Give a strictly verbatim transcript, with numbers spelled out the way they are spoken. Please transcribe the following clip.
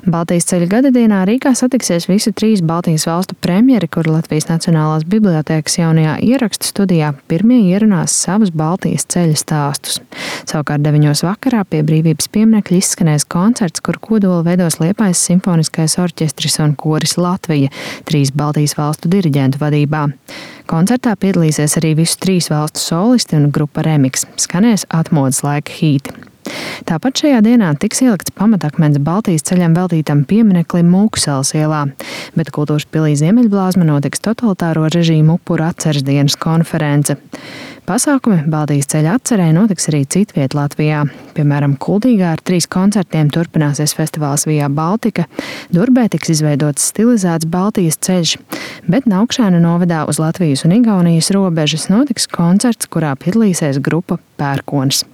Baltijas ceļa gadadienā Rīgā satiksies visu trīs Baltijas valstu premjeri, kuri Latvijas Nacionālās bibliotēkas jaunajā ierakstu studijā pirmie ierunās savus Baltijas ceļa stāstus. Savukārt deviņos vakarā pie Brīvības pieminekļa izskanēs koncerts, kur kodolu veidos Liepājas simfoniskais orķestris un koris Latvija, trīs Baltijas valstu diriģentu vadībā. Koncertā piedalīsies arī visu trīs valstu solisti un grupa Remix. Skanēs atmodas laika hīti. Tāpat šajā dienā tiks ielikts pamatakmens Baltijas ceļam veltītam piemineklim Mūksalas ielā, bet Kultūras pilī Ziemeļblāzma notiks totalitāro režīmu upuru atceres dienas konference. Pasākumi Baltijas ceļa atcerē notiks arī citviet Latvijā. Piemēram, Kuldīgā ar trīs koncertiem turpināsies festivāls Via Baltica, Durbē tiks izveidots stilizēts Baltijas ceļš, bet Naukšēnu novadā uz Latvijas un Igaunijas robežas notiks koncerts, kurā piedalīsies grupa Pērkons.